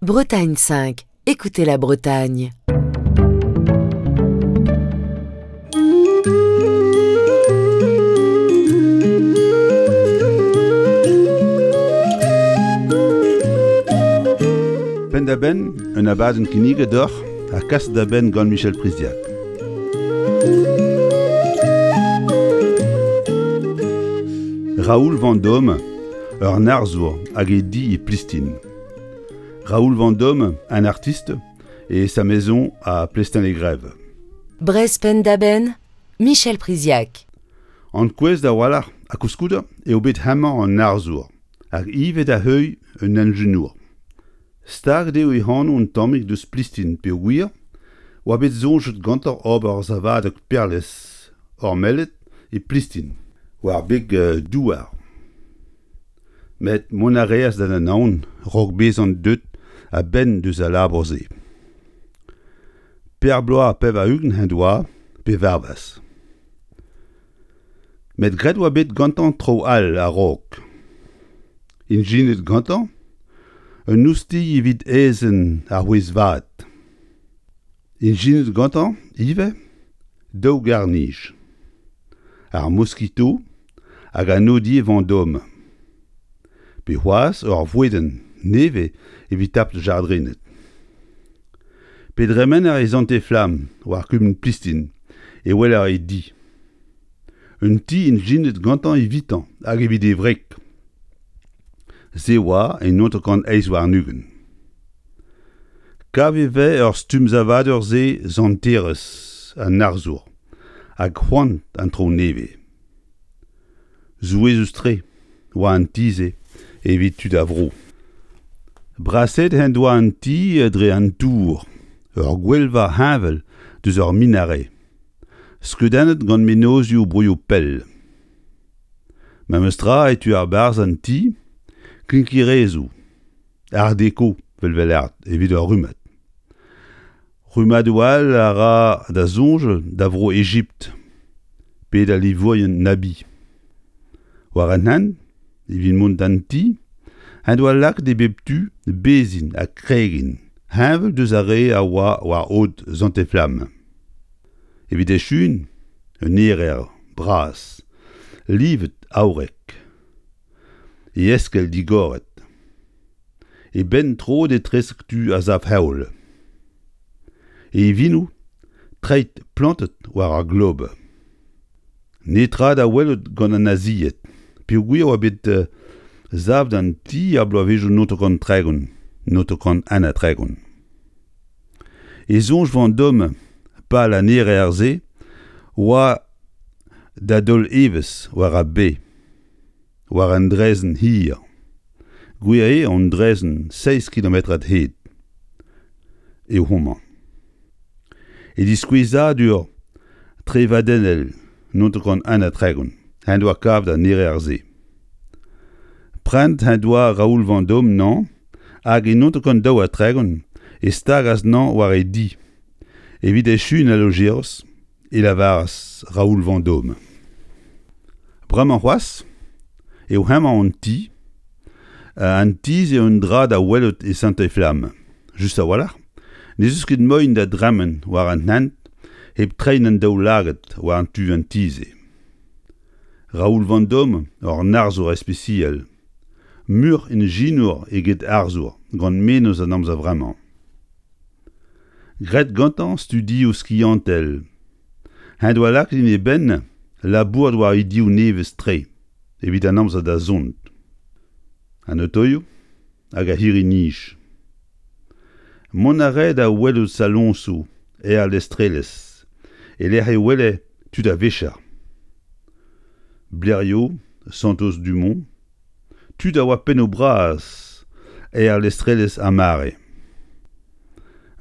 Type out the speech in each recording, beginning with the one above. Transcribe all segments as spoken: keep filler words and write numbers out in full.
Bretagne cinq, écoutez la Bretagne. Penn-da-benn, un abadenn kinniget deoc'h ha kaset da benn gant Michel Priziac. Raoul Vendôme, ur arzour hag e di e Plistin. Raoul Vendôme, un artiste, et sa maison à Plestin-les-Grèves. Breizh Penn-da-Benn, Michel Priziac. An kouez da walc'h ha koulskoude eo bet hemañ an arzour hag ivez da heuilh un enjenour. Staget eo e anv un tammig deus Plistin peogwir oa bet soñjet gantañ ober savadeg perlez ormellet e Plistin, war beg douar. Met mont a reas da Anaon raok bezañ deuet a-benn deus al labour-se. Pevar bloaz ha pevar-ugent en doa pe varvas. Met graet oa bet gantañ traoù all a-raok. Ijinet gantañ un oustilh evit aezhenn ar c'hwezh-vat. Ijinet gantañ ivez daou garr-nij, ar Mosquito hag an Nodier Vendôme. Pe c'hoazh ur vouedenn nevez evit tapet jardrined. Pe dremener e Santez-Flamm war kumun Plistin e weler e di. Un ti ijinet gantañ evitañ hag evit e wreg. Se oa en hanter-kant eizh warn-ugent. Kav e vez ur stumm savadur-se santerezh an arzour hag c'hoant an traoù nevez. Souezhus-tre oa an ti-se evit tud a vro. Brasaet en doa an ti dre an tour, ur gwelva heñvel deus ur minaret, skeudennet gant mennozhioù broioù pell. Memes tra e tu ar barzh an ti, klinkerezoù, art déco vel vel evit ur rummad. Rummadoù all a ra da soñj da vro Egipt, pe da livourien Nabi. War an hent, evit mont d'an ti, en doa lakaet e bep tu bezhin ha kregin, heñvel deus ar re a oa war aod Santez-Flamm. Evit echuiñ, un erer bras, livet aourek, e eskell digoret, e benn troet etrezek tu a sav-heol. E ivinoù treid plantet war ar glob. Netra da welout gant an nazied, peogwir oa bet savet an ti ar bloavezhioù naontek tregont, naontek un ha tregont. E soñj Vendôme pal an erer-se oa da daol evezh war ar bae, war an draezhenn hir. Gwir eo an draezhenn seizh kilometrad hed eo homañ. E diskouezadur trevadennel naontek un ha tregont en doa kavet an erer-se. Prenet en doa Raoul Vendôme nañ hag e naontek daou ha tregont e stagas nañ war e di. Evit echuiñ al lojeroz e lavaras Raoul Vendôme. Bremañ c'hoazh eo hemañ an ti, an ti eo un dra da welout e Santez-Flamm. Just a-walc'h, n'ez eus ket moaien da dremen war an hent hep treiñ an daoulagad war an tu an ti-se. Raoul Vendôme, ur arzour ispisial, muioc'h ijinour eget arzour gant mennozh an amzer vremañ. Graet gantañ studioù skiantel, en doa lakaet en e benn labourat war idioù nevez-tre evit an amzer da zont. An otoioù hag ar c'hirri-nij. Mont a rae da welout saloñsoù aerlestrelezh e lec'h e wele tud a-vicher. Blériot, Santos-Dumont, tud a oa pennoù bras aerlestrelezh ar mare.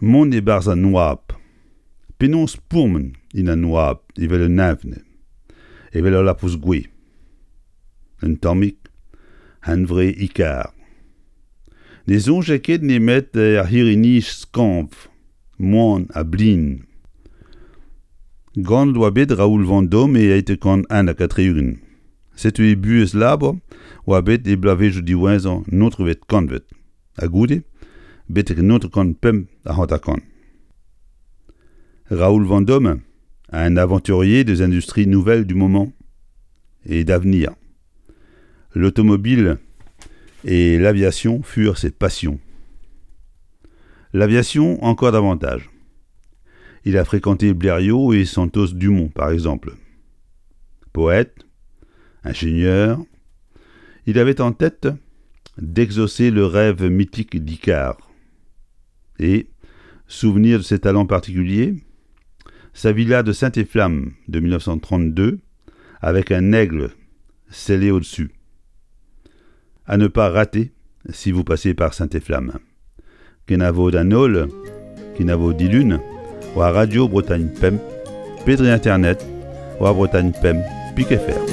Mont e-barzh an oabl. Penaos pourmen en an oabl evel un evn, evel ul labous gouez. Un tammig hunvre Ikar. Ne soñje ket nemet er c'hirri-nij skañv, moan ha blin. Ganet oa bet Raoul Vendôme e eizhtek kant un ha tri-ugent. Setu e buhez labour oa bet e bloavezhioù diwezhañ naontekvet kantved. Ha goude, betek naontek kant pemp ha hanter-kant. Raoul Vendôme, un aventurier des industries nouvelles du moment et d'avenir. L'automobile et l'aviation furent ses passions. L'aviation encore davantage. Il a fréquenté Blériot et Santos Dumont, par exemple. Poète, ingénieur, il avait en tête d'exaucer le rêve mythique d'Icare. Et, souvenir de ses talents particuliers, sa villa de Saint-Efflam de mille neuf cent trente-deux, avec un aigle scellé au-dessus. À ne pas rater si vous passez par Saint-Efflam. Kenavo d'an holl, kenavo dilun, war Radio Bretagne Pemp, Pedri Internet, war Bretagne Pemp, Pique F R.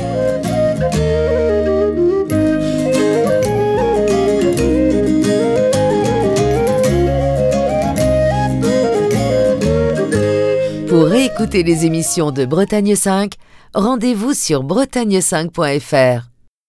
Pour réécouter les émissions de Bretagne cinq, rendez-vous sur bretagne cinq point F R.